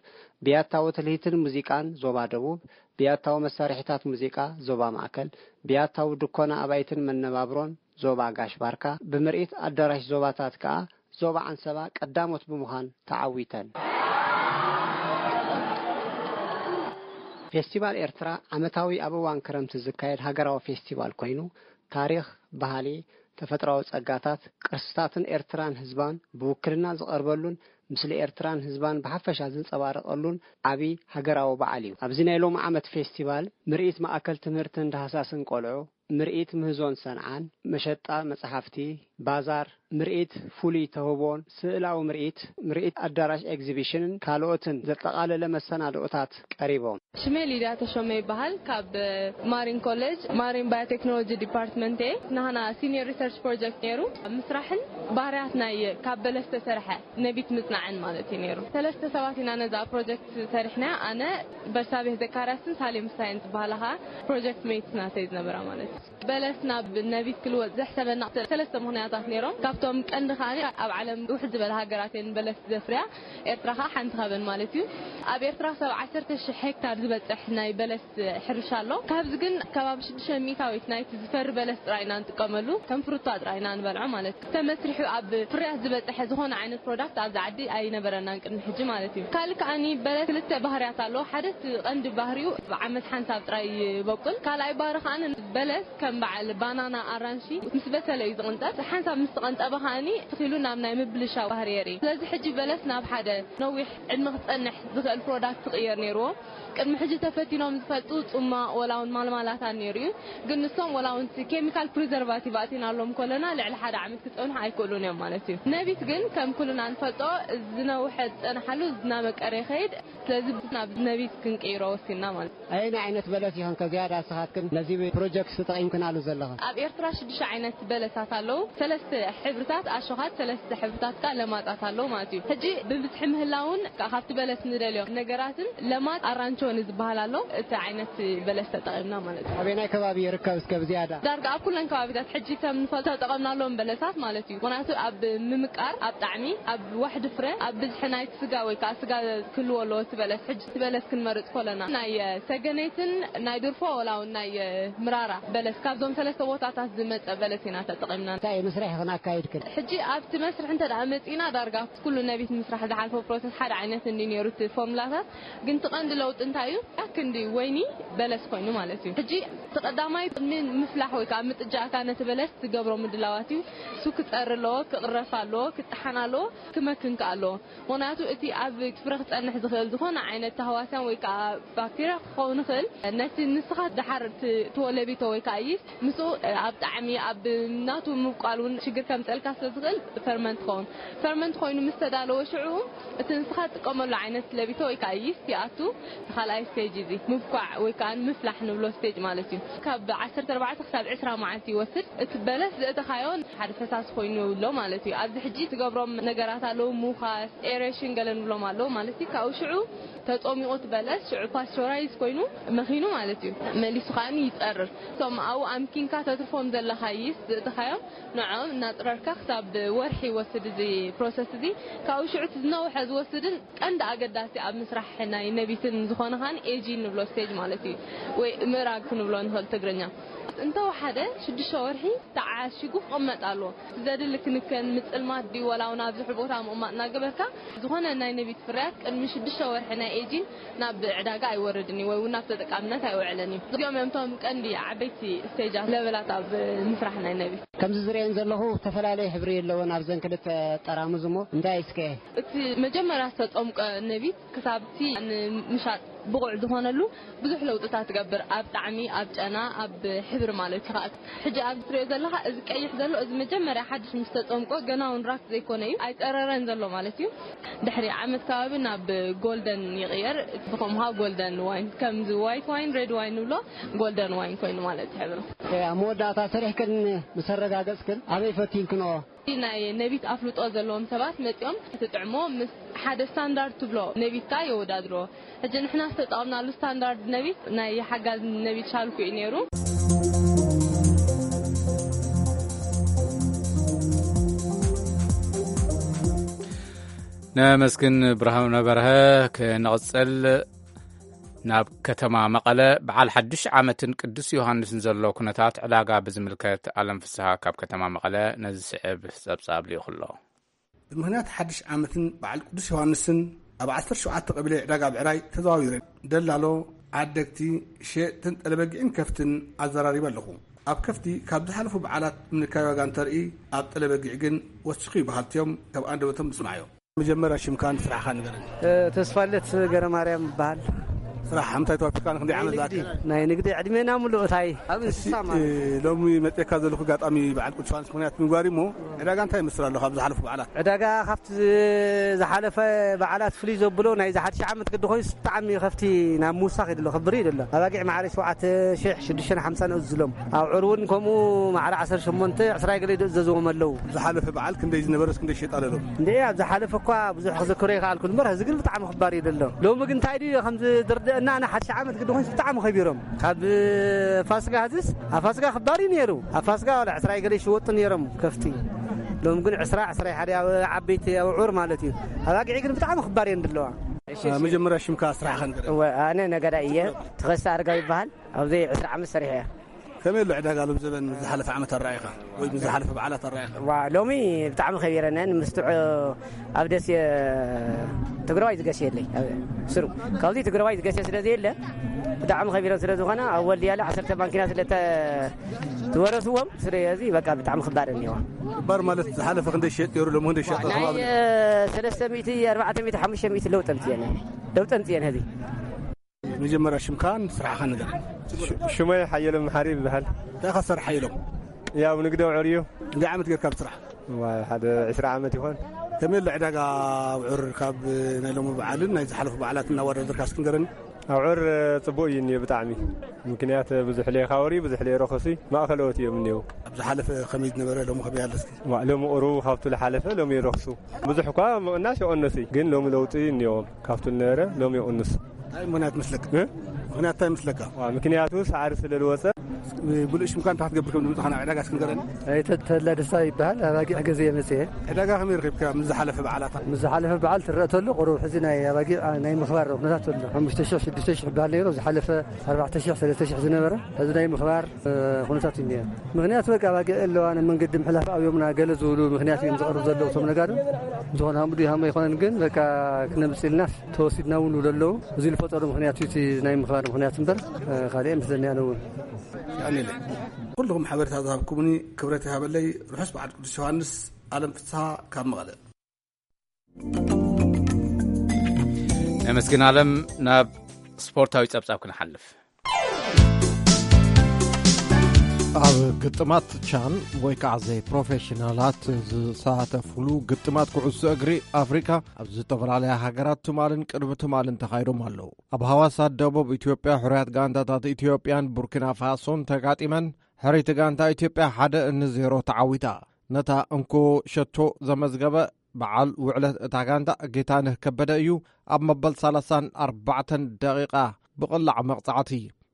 ብያታዊ ትልሂትን ሙዚቃን ዞባ ደቡብ፣ ብያታዊ መሳርሒታት ሙዚቃ ዞባ ማእከል፣ ብያታዊ ድኮና ኣባይትን መነባብሮን ዞባ ጋሽ ባርካ፣ ብምርኢት ኣዳራሽ ዞባታት ከኣ ዞባ ዓንሰባ ቀዳሞት ብምዃን ተዓዊተን። ፌስቲቫል ኤርትራ ዓመታዊ ኣብ እዋን ክረምቲ ዝካየድ ሃገራዊ ፌስቲቫል ኮይኑ፣ ታሪኽ፣ ባህሊ፣ ተፈጥሮኣዊ ጸጋታት፣ ቅርስታትን ኤርትራን ህዝባን ብውክልና ዝቐርበሉን ምስሊ ኤርትራን ህዝባን ብሓፈሻ ዝንጸባረቐሉን ዓቢ ሃገራዊ በዓል እዩ። ኣብዚ ናይ ሎሚ ዓመት ፌስቲቫል ምርኢት ማእከል ትምህርትን ዳህሳስን ቆልዑ፣ ምርኢት ምህዞን ሰንዓን፣ መሸጣ መጽሓፍቲ፣ ባዛር፣ ምርኢት ፍሉይ ተውህቦን ስእላዊ ምርኢት፣ ምርኢት ኣዳራሽ ኤግዚቢሽንን ካልኦትን ዘጠቓለለ መሰናድኦታት ቀሪቦም። ሽመይ ሊድያ ተሾመ ይበሃል። ካብ ማሪን ኮሌጅ ማሪን ባዮቴክኖሎጂ ዲፓርትመንት እየ። ናህና ሲኒየር ሪሰርች ፕሮጀክት ነይሩ። ምስራሕን ባህርያት ናይ ካብ በለስ ዝተሰርሐ ነቢት ምጽናዕን ማለት እዩ ነይሩ። ሰለስተ ሰባት ኢና ነዛ ፕሮጀክት ሰሪሕና። ኣነ በርሳቤህ ዘካርያስን ሳሌም ሳይን ዝበሃላ ከዓ ፕሮጀክት ሜትስ ናተይ ዝነበራ ማለት እዩ። በለስ ናብ ነቢት ክልወጥ ዘሕሰበና ሰለስተ ምኽንያታት ነይሮም። ካብቶም ቀንዲ ከዓ ኣብ ዓለም ውሕድ ዝበለ ሃገራት እየን በለስ ዘፍርያ። ኤርትራ ከዓ ሓንቲ ካብን ማለት እዩ። ኣብ ኤርትራ ክሳብ ዓሰርተ ሽሕ ሄክታር ዝበፅሕ ናይ በለስ ሕርሻ ኣሎ። ካብዚ ግን ከባቢ ሽዱሽተ ሚእታዊት ናይቲ ዝፈሪ በለስ ጥራይ ኢና ንጥቀመሉ። ከም ፍሩታ ጥራይ ኢና ንበልዖ ማለት እዩ። ተመስሪሑ ኣብ ፍርያት ዝበፅሐ ዝኾነ ዓይነት ፕሮዳክት ኣብዚ ዓዲ ኣይነበረናን ቅድሚ ሕጂ ማለት እዩ። ካልእ ከዓኒ በለስ ክልተ ባህርያት ኣለዎ። ሓደ እቲ ቀንዲ ባህሪኡ ብዓመት ሓንሳብ ጥራይ ይበቁል። ካልኣይ ባህሪ ከዓኒ በለስ ከም በዓል ባናና፣ ኣራንሺ ምስ በሰለ እዩ ዝቕንጠብ። ሓንሳብ ምስ ተቐንጠበ ከዓኒ ትኺሉ ናብ ናይ ምብልሻው ባህሪ የርኢ። ስለዚ ሕጂ በለስ ናብ ሓደ ነዊሕ ዕድመ ክጸንሕ ዝኽእል ፕሮዳክት ክቕየር ነይርዎ። ቅድሚ ሕጂ ተፈቲኖም ዝፈልጡ ጽማቕ ወላ እውን ማልማላታ ነይሩ እዩ። ግን ንሶም ወላ እውን እቲ ኬሚካል ፕሪዘርቫቲቭ ኣእቲናሎም ከለና ልዕሊ ሓደ ዓመት ክጸንሑ ኣይክእሉን እዮም ማለት እዩ። ነቢት ግን ከም ኩልና ንፈልጦ ዝነውሐ ዝጸንሓሉ እናመቀረ ይኸይድ። ስለዚ ናብ ነቢት ክንቅይሮ ወሲንና ማለት እዩ። ኣየናይ ዓይነት በለስ ይኸን ከ ዝያዳ ንስኻትክን ነዚ ፕሮጀክት ተጠቒምክናሉ ዘለኽን? ኣብ ኤርትራ ሽዱሽተ ዓይነት በለሳት ኣለዉ። ሰለስተ ሕብርታት ኣሾኻት፣ ሰለስተ ሕብርታት ከኣ ለማጻት ኣለዉ ማለት እዩ። ሕጂ ብብዝሒ ምህላውን ከኣ ካብቲ በለስ ንደልዮ ነገራትን ለማጽ ኣራንቾ ንዝበሃል ኣሎ። እቲ ዓይነት በለስ ተጠቒምና ማለት እዩ። ኣበየናይ ከባቢ ይርከብ እስከ ብዝያዳ? ዳርጋ ኣብ ኩለን ከባቢታት ሕጂ ከም ንፈልጦ ተጠቐምናሎም በለሳት ማለት እዩ። ምኽንያቱ ኣብ ምምቃር፣ ኣብ ጣዕሚ፣ ኣብ ዋሕዲ ፍረ፣ ኣብ ብዝሒ ናይቲ ስጋ ወይ ከኣ ስጋ ክህልዎ ኣለዎ እቲ በለስ። ሕጂ እቲ በለስ ክንመርጽ ከለና ናይ ሰገነይትን ናይ ድርፎ ወላ እውን ናይ ምራራ በለስ ካብዞም ሰለስተ ቦታታት ዝመጸ በለስ ኢና ተጠቒምና። እንታይ መስርሕ ኢኽን ኣካይድክን? ሕጂ ኣብቲ መስርሕ እንተ ደኣ መጺእና ዳርጋ ኩሉ ነቢት ምስራሕ ዝሓልፎ ፕሮሰስ ሓደ ዓይነት እንዲ ነይሩ እቲ ፎርሙላታት። ግን እቲ ቀንዲ ለውጢ እንታይ እዩ? ክንዲ ወይኒ በለስ ኮይኑ ማለት እዩ። ሕጂ እቲ ቀዳማይ ቅድሚ ምፍላሕ ወይ ከኣ ምጥጃእካ ነቲ በለስ ዝገብሮ ምድላዋት እዩ። እሱ ክጸሪ ኣለዎ፣ ክቕረፍ ኣለዎ፣ ክጠሓን ኣለዎ፣ ክመክን ከኣ ኣለዎ። ምኽንያቱ እቲ ኣብ ፍረ ክጸንሕ ዝኽእል ዝኾነ ዓይነት ተህዋስያን ወይ ከኣ ባክቴርያ ክኸውን ይኽእል። ነቲ ንስኻ ደሓር ት-፣ ትወለቢቶ ወይ ከኣ ይስት ምስኡ ኣብ ጣዕሚ፣ ኣብ ናቱ ምብቋል እውን ሽግር ከምጸልካ ስለ ዝኽእል ፈርመንት ክኸውን። ፈርመንት ኮይኑ ምስ ተዳለወ ሽዑ እቲ ንስኻ ትጥቀመሉ ዓይነት ለቢቶ ወይ ከኣ ይስት ይኣቱ። እቲ ካልኣይ ስቴጅ እዚ ምብኳዕ ወይ ከኣ ምፍላሕ ንብሎ ስቴጅ ማለት እዩ። ካብ ዓሰርተ ኣርባዕተ ክሳብ ዕስራ መዓልቲ ይወስድ። እቲ በለስ ዘእተኻዮ ሓደ ፈሳሲ ኮይኑ ኣሎ ማለት እዩ። ኣብዚ ሕጂ ትገብሮም ነገራት ኣለዉ፣ ሙኻስ፣ ኤሬሽን ገለ ንብሎም ኣለዉ ማለት እዩ። ካብኡ ሽዑ ተጾሚቑ እቲ በለስ ሽዑ ፓስቸራይዝ ኮይኑ መኺኑ ማለት እዩ። መሊሱ ከኣ ይጸርር። እቶም ኣብኡ ኣምኪንካ ተትርፎም ዘለኻ ይስት ዘእተኻዮም ንዕኦም እናጽረርካ ክሳብ ወርሒ ይወስድ እዚ ፕሮሰስ እዚ። ካብኡ ሽዑ እቲ ዝነውሐ ዝወስድን ቀንዲ ኣገዳሲ ኣብ ምስራሕ ናይ ነቢትን ዝኾነ ከኣ ኤጂን ንብሎ ስቴጅ ማለት እዩ፣ ወይ ምእራግ ክንብሎ ንኽእል ትግርኛ። እንተወሓደ ሽዱሽተ ወርሒ ተዓሺጉ ክቕመጥ ኣለዎ። ዘድሊ ክንከን፣ ምጽልማት ድዩ ወላ እውን ኣብ ዝሑል ቦታ ምቕማጥ እናገበርካ ዝኾነ ናይ ነቢት ፍርያት ቅድሚ ሽዱሽተ ወርሒ ናይ ኤጂን ናብ ዕዳጋ ኣይወርድን እዩ ወይ እውን ናብ ተጠቃምነት ኣይውዕልን እዩ። እዚኦም እዮም እቶም ቀንዲ ዓበይቲ ስቴጃት ለበላት ኣብ ምስራሕ ናይ ነቢት። ከምዚ ዝርእየን ዘለኹ ዝተፈላለየ ሕብሪ ኣለወን ኣብዘን ክልተ ጠራሙዝ እሞ እንታይ እስከ? እቲ መጀመርያ ዝተጠምቀ ነቢት ክሳብቲ ንምሻጥ ብቑዕ ዝኾነሉ ብዙሕ ለውጥታት ትገብር፣ ኣብ ጣዕሚ፣ ኣብ ጨና፣ ኣብ ሕብሪ ማለት እዩ። ከኣ ሕጂ ኣብዚ ትሪኦ ዘለኻ እዚ ቀይሕ ዘሎ እዚ መጀመርያ ሓድሽ ምስ ተጸምቆ ገና እውን ራክ ዘይኮነ እዩ፣ ኣይጸረረን ዘሎ ማለት እዩ። ድሕሪ ዓመት ከባቢ ናብ ጎልደን ይቕየር፣ ብኸምኡ ከዓ ጎልደን ዋይን፣ ከምዚ ዋይት ዋይን ሬድ ዋይን ንብሎ ጎልደን ዋይን ኮይኑ ማለት እዩ ሕብሩ። ኣብ መወዳእታ ሰሪሕክን ምስ ኣረጋገጽክን ኣበይ ፈቲንክንኦ? ናይ ነቢት ኣፍልጦ ዘለዎም ሰባት መጺኦም እቲ ጥዕሞ ምስ ሓደ ስታንዳርድ ትብሎ ነቢት ከኣ የወዳድርዎ። ሕጂ ንሕና ዝተጠቐምናሉ ስታንዳርድ ነቢት ናይ ሓጋዝ ነቢት ሻልኩ እዩ ነይሩ። ነመስግን ብርሃኑ በርሀ። ክንቕጽል ናብ ከተማ መቐለ በዓል ሓድሽ ዓመትን ቅዱስ ዮሃንስን ዘሎ ኩነታት ዕዳጋ ብዝምልከት ኣለም ፍስሃ ካብ ከተማ መቐለ ነዚ ስዕብ ጸብጻብ ልኢኹ ኣሎ። ብምኽንያት ሓድሽ ዓመትን በዓል ቅዱስ ዮሃንስን ኣብ ዓሰርተ ሸውዓተ ቀበሌ ዕዳጋ ብዕራይ ተዘዋዊረ ደላሎ፣ ዓደግቲ፣ ሸየጥትን ጠለበጊዕን ከፍትን ኣዘራሪበ ኣለኹ። ኣብ ከፍቲ ካብ ዝሓለፉ በዓላት ምንካይ ዋጋ እንተርኢ ኣብ ጠለበጊዕ ግን ወሲኹ እዩ በሃልቲ እዮም። ካብ ኣንደበቶም ንስማዓዮ። መጀመርያ ሽምካን ስራሕካ ንገረኒ። ተስፋለት ገረማርያም ይበሃል። ስራሕ እንታይ ተዋፊርካ ንክንደይ ናይ ዓመት ንግዲ ዝኣክል? ናይ ንግዲ ዕድሜና ሙሉእ እታይ ኣብ እንስሳ ማለት እዩ። ሎሚ መፅእካ ዘለኹ ኣጋጣሚ በዓል ቅዱስ ዮሃንስ ምክንያት ምግባር እሞ ዕዳጋ እንታይ ይመስል ኣሎ ካብ ዝሓለፉ በዓላት? ዕዳጋ ካብቲ ዝሓለፈ በዓላት ፍልይ ዘብሎ ናይዚ ሓድሽ ዓመት ግዲ ኮይኑስ ብጣዕሚ ከፍቲ ናብ ምውሳኽ እዩ ዘሎ፣ ክብር እዩ ዘሎ። ኣባጊዕ ማዕረ ሸውዓተ ሽሕ ሽዱሽተ ሓምሳ ንእዝሎም። ኣብዑር እውን ከምኡ ማዕረ ዓሰርተ ሸሞንተ ዕስራ ገለ ይእዘዝዎም ኣለዉ። ዝሓለፈ በዓል ክንደይ ዝነበረስ ክንደይ ሸጣ ኣለሎም? እንደ ኣብ ዝሓለፈ እኳ ብዙሕ ክዝክሮ ይከኣልኩ እምበር፣ እዚ ግን ብጣዕሚ ክባር እዩ ዘሎ። ሎሚ ግን እንታይ ድዩ ከምዚ ዝርድአና፣ ንሓድሽ ዓመት ግዲ ኮይኑስ ብጣዕሚ ከቢሮም። ካብ ፋስጋ ህዝስ ኣብ ፋስጋ ክባር እዩ ነይሩ። ኣብ ፋስጋ ዋላ ዕስራ ገለ ይሽወጡ ነይሮም ከፍቲ። ሎም ግን ዕስራ ዕስራ ሓደ ኣብ ዓበይቲ ኣብዑር ማለት እዩ። ኣባጊዕ ግን ብጣዕሚ ክባር እየን ዘለዋ። መጀመርያ ሽምካ ስራሕኻ ንገረኒ። እወ፣ ኣነ ነጋዳይ እየ። ተኸስተ ኣረጋዊ ይበሃል። ኣብዚ ዕስራ ዓመት ሰሪሐ እየ። ከመይ ኣሎ ዕዳጋ ሎም ዘበን ምስ ዝሓለፈ ዓመት ኣረኣይኻ ወይ ምስ ዝሓለፈ በዓላት ኣረኣይኻ? ዋ፣ ሎሚ ብጣዕሚ ከቢረነን። ምስጥዑ ኣብ ደሴ ትግራዋይ ዝገሽ የለይ። ኣብ ስሩ ካብዚ ትግራዋይ ዝገሽ ስለ ዘየለ ብጣዕሚ ከቢረን ስለ ዝኾነ ኣብ ወልድያ ለ ዓሰርተ ማንኪና ስለ ተ-፣ ዝወረስዎም ስለዚ በቃ ብጣዕሚ ክባር እኒዋ። ክባር ማለት ዝሓለፈ ክንደይ ሸጥ ነይሩ፣ ሎም ክንደይ ሸጥ ናይ ከባቢ? ሰለስተ ሚእቲ ኣርባዕተ ሚእቲ ሓሙሽተ ሚእቲ ለውጥ ኣምፅኤን፣ ለውጥ ኣምፅኤን ህዚ። መጀመርያ ሽምካን ስራሕኻን ንገር። ሽመይ ሓየሎም መሓሪ ይበሃል። እንታይ ኢኻ ትሰርሕ ሓየሎም? ያው ንግዲ ኣውዕር እዩ። ክንደይ ዓመት ጌርካ ኣብ ስራሕ? ዋ፣ ሓደ ዕስራ ዓመት ይኾን። ከመይ ኣሎ ዕዳጋ ኣውዕር ካብ ናይ ሎሚ በዓልን ናይ ዝሓለፉ በዓላት እናወዳደርካ እስኪ ንገረኒ። ኣውዕር ጽቡቕ እዩ እኒኦ ብጣዕሚ። ምክንያት ብዙሕ ለይኻወሪ፣ ብዙሕ ለይረኸሱ፣ ማእኸለዎት እዮም እኒኦ። ኣብ ዝሓለፈ ከመይ ዝነበረ ሎሚ ከመይ ኣሎ እስኪ? ዋ፣ ሎሚ ቁሩብ ካብቱ ዝሓለፈ ሎሚ ይረኽሱ። ብዙሕ እኳ ምቕናሽ ይቐነሱ፣ ግን ሎሚ ለውጢ እኒኦም። ካብቱ ዝነበረ ሎሚ ይቕንስ። እንታይ ምኽንያት መስለካ? እ? ምኽንያት እንታይ መስለካ? ዋ፣ ምክንያቱ ሳዕሪ ስለ ዝወፀ። ብሉእ ሽምካ እንታይ ክትገብር ከም ዝመፅኻ ናብ ዕዳጋ እስኪ ንገረኒ። ኣይተ-፣ ተድላ ደስታ ይበሃል። ኣባጊዕ ገዘ የመፅየ። ዕዳጋ ከመይ ረኺብካ ምስ ዝሓለፈ በዓላት? ምስ ዝሓለፈ በዓል ትረአ ተሎ ቁሩብ ሕዚ ናይ ኣባጊዕ ናይ ምኽባር ኩነታት ተሎ። ሓሙሽተ ሽሕ ሽዱሽተ ሽሕ በዓል ነይሩ። ዝሓለፈ ኣርባዕተ ሽሕ ሰለስተ ሽሕ ዝነበረ ሕዚ ናይ ምኽባር፣ እ፣ ኩነታት እዩ እኒአ። ምኽንያቱ በቃ ኣባጊዕ ኣለዋ፣ ንመንገዲ ምሕላፍ ኣብዮምና ገለ ዝብሉ ምኽንያት እዮም ዘቕርቡ ዘለዉ እቶም ነጋዶ። ዝኾነ ሃምኡ ድዩ ሃምኡ ኣይኮነን፣ ግን በቃ ክነምፅእ ኢልናስ ተወሲድና እውን ይብሉ ኣለዉ። እዚ ዝፈጠሩ ምኽንያት እዩ እቲ ናይ ምኽባር ምኽንያት እምበር፣ እ፣ ካልእ ምስለኒ ኣነ እውን። ያኔለ ኩልኹም ሓበሬታ ዝሃብኩምኒ ክብረት ይሃበለይ። ርሑስ በዓል ቅዱስ ዮሃንስ። ኣለም ፍስሃ ካብ መቐለ። ነመስግን ኣለም። ናብ ስፖርታዊ ጸብጻብ ክንሓልፍ። ኣብ ግጥማት ቻን ወይ ከዓ ዘይ ፕሮፌሽናላት ዝሳተፉሉ ግጥማት ኩዕሶ እግሪ ኣፍሪካ ኣብ ዝተፈላለያ ሃገራት ትማልን ቅድሚ ትማልን ተኻይዶም ኣለዉ። ኣብ ሃዋሳ ደቡብ ኢትዮጵያ ሕሩያት ጋንታታት ኢትዮጵያን ቡርኪና ፋሶን ተጋጢመን፣ ሕርይቲ ጋንታ ኢትዮጵያ ሓደ ንዜሮ ተዓዊታ። ነታ እንኮ ሸቶ ዘመዝገበ በዓል ውዕለት እታ ጋንታ ጌታነህ ከበደ እዩ። ኣብ መበል ሰላሳን ኣርባዕተን ደቂቃ ብቕላዕ መቕጻዕቲ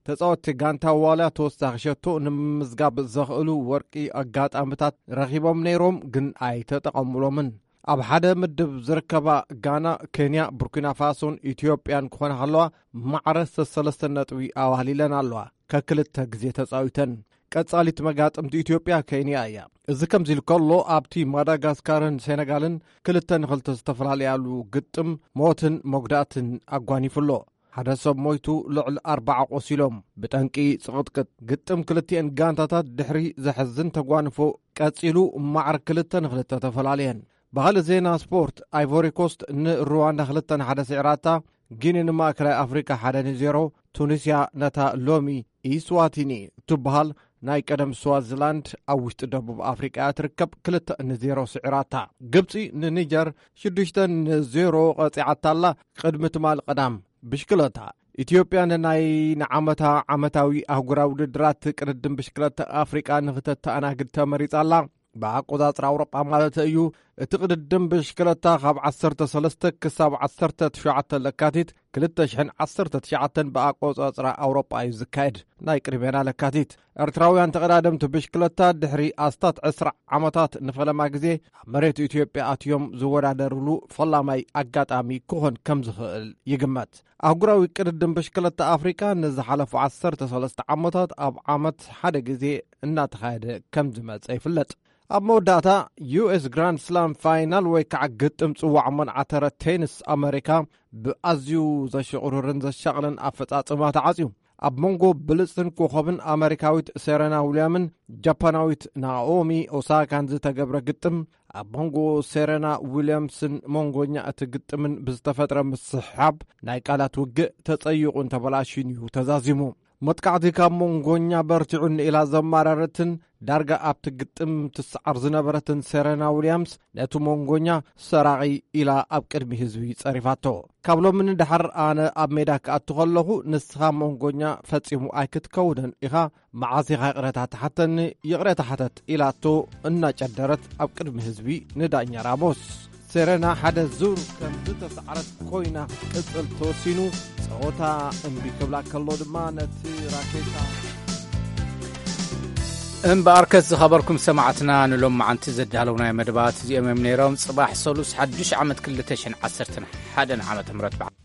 ተጻወትቲ ጋንታ ዋልያ ተወሳኺ ሸቶ ንምምዝጋብ ዘኽእሉ ወርቂ ኣጋጣሚታት ረኺቦም ነይሮም፣ ግን ኣይተጠቐሙሎምን። ኣብ ሓደ ምድብ ዝርከባ ጋና፣ ኬንያ፣ ቡርኪና ፋሶን ኢትዮጵያን ክኾና ከለዋ፣ ማዕረ ሰለስተ ነጥቢ ኣዋህሊለን ኣለዋ። ከክልተ ግዜ ተጻዊተን። ቀጻሊት መጋጥምቲ ኢትዮጵያ ኬንያ እያ። እዚ ከምዚ ኢሉ ከሎ፣ ኣብቲ ማዳጋስካርን ሴነጋልን ክልተ ንኽልተ ዝተፈላለያሉ ግጥም ሞትን መጉዳእትን ኣጓኒፉ ኣሎ። ሓደ ሰብ ሞይቱ፣ ልዕሊ ኣርባዓ ቆሲሎም። ብጠንቂ ጽቕጥቅጥ ግጥም ክልቲኤን ጋንታታት ድሕሪ ዘሕዝን ተጓንፎ ቀጺሉ፣ ማዕረ ክልተ ንኽልተ ተፈላለየን። ብኻልእ ዜና ስፖርት፣ ኣይቮሪ ኮስት ንሩዋንዳ ክልተ ንሓደ ስዒራታ፣ ጊኒ ንማእከላይ ኣፍሪቃ ሓደ ንዜሮ፣ ቱኒስያ ነታ ሎሚ ኢስዋቲኒ እትበሃል ናይ ቀደም ስዋዚላንድ ኣብ ውሽጢ ደቡብ ኣፍሪቃ እያ ትርከብ፣ ክልተ ንዜሮ ስዒራታ። ግብጺ ንኒጀር ሽዱሽተ ንዜሮ ቀጺዓታ ኣላ። ቅድሚ ትማል ቀዳም ብሽክለታ፣ ኢትዮጵያ ንናይ ንዓመታ ዓመታዊ ኣህጉራዊ ውድድራት ቅድድም ብሽክለታ ኣፍሪቃ ንኽተተኣናግድ ተመሪጻ ኣላ። ብኣቆጻጽራ ኣውሮጳ ማለት እዩ። እቲ ቅድድም ብሽክለታ ካብ ዓሰርተ ሰለስተ ክሳብ ዓሰርተ ትሽዓተ ለካቲት ክልተ ሽሕን ዓሰርተ ትሽዓተን ብኣቆጻጽራ ኣውሮጳ እዩ ዝካየድ። ናይ ቅድሜና ለካቲት፣ ኤርትራውያን ተቐዳደምቲ ብሽክለታ ድሕሪ ኣስታት ዕስራ ዓመታት ንፈለማ ግዜ ኣብ መሬት ኢትዮጵያ ኣትዮም ዝወዳደርሉ ፈላማይ ኣጋጣሚ ክኾን ከም ዝኽእል ይግመት። ኣህጉራዊ ቅድድም ብሽክለታ ኣፍሪቃ ንዝሓለፉ ዓሰርተ ሰለስተ ዓመታት ኣብ ዓመት ሓደ ግዜ እናተኻየደ ከም ዝመጸ ይፍለጥ። ኣብ መወዳእታ፣ ዩ ኤስ ግራንድ ስላም ፋይናል ወይ ከዓ ግጥም ጽዋዕ መንዓተረ ቴኒስ ኣመሪካ ብኣዝዩ ዘሽቕርርን ዘሻቕልን ኣፈጻጽማ ተዓጽዩ። ኣብ መንጎ ብልጽትን ኮኸብን ኣመሪካዊት ሴረና ዊልያምን ጃፓናዊት ናኦሚ ኦሳካን ዝተገብረ ግጥም፣ ኣብ መንጎ ሴረና ዊልያምስን መንጎኛ እቲ ግጥምን ብዝተፈጥረ ምስሕሓብ ናይ ቃላት ውግእ ተጸይቑን ተበላሽዩን እዩ ተዛዚሙ። መጥቃዕቲ ካብ መንጎኛ በርቲዑኒ ኢላ ዘማረረትን ዳርጋ ኣብቲ ግጥም ትሰዓር ዝነበረትን ሴረና ዊልያምስ ነቲ መንጎኛ ሰራቒ ኢላ ኣብ ቅድሚ ህዝቢ ጸሪፋቶ። ካብ ሎሚ ንድሓር ኣነ ኣብ ሜዳ ክኣቱ ከለኹ ንስኻ መንጎኛ ፈጺሙ ኣይክትከውንን ኢኻ፣ መዓስ ኢኻ ይቕረታ ትሓተኒ? ይቕረታ ሓተት ኢላቶ እናጨደረት ኣብ ቅድሚ ህዝቢ ንዳኛ ራሞስ። ሴረና ሓደ ዙር ከም ዝተሰዓረት ኮይና ክትቅጽል ተወሲኑ፣ ጸወታ እምቢ ክብላ ከሎ ድማ ነቲ ራኬታ እምበኣርከስ ዝኸበርኩም ሰማዕትና ንሎም መዓንቲ ዘዳለውናዮ መደባት እዚኦም እዮም ነይሮም። ጽባሕ ሰሉስ ሓዱሽ ዓመት ክልተ ሽሕን ዓሰርተን ሓደን ዓመተ ምህረት በዓል